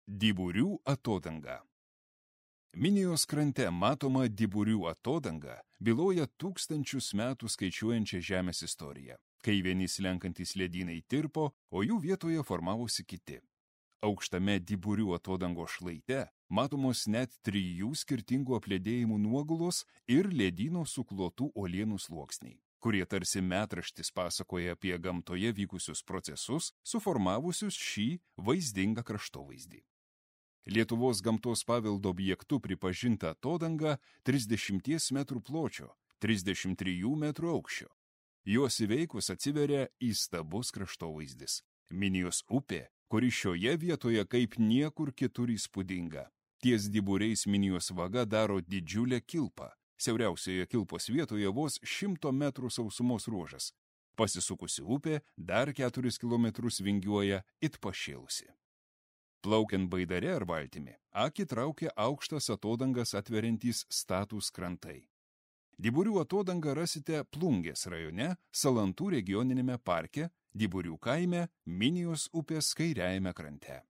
Dyburių atodanga. Minijos krante matoma Dyburių atodanga byloja tūkstančius metų skaičiuojančią Žemės istoriją, kai vieni slenkantys ledynai tirpo, o jų vietoje formavosi kiti. Aukštame Dyburių atodangos šlaite matomos net 3 skirtingų apledėjimų nuogulos ir ledyno suklotų uolienų sluoksniai, kurie tarsi metraštis pasakoja apie gamtoje vykusius procesus, suformavusius šį vaizdingą kraštovaizdį. Lietuvos gamtos paveldo objektu pripažinta atodanga 30 metrų pločio, 33 metrų aukščio. Jos įveikus atsiveria įstabus kraštovaizdis. Minijos upė, kuri šioje vietoje kaip niekur kitur įspūdinga. Ties Dyburiais Minijos vaga daro didžiulę kilpą. Siauriausioje kilpos vietoje vos 100 metrų sausumos ruožas. Pasisukusi upė dar 4 kilometrus vingiuoja it pašėlusi. Plaukiant baidare ar valtimi, akį traukia aukštas atodangas atveriantys statūs krantai. Dyburių atodangą rasite Plungės rajone, Salantų regioninėme parke, Dyburių kaime, Minijos upės kairiajame krante.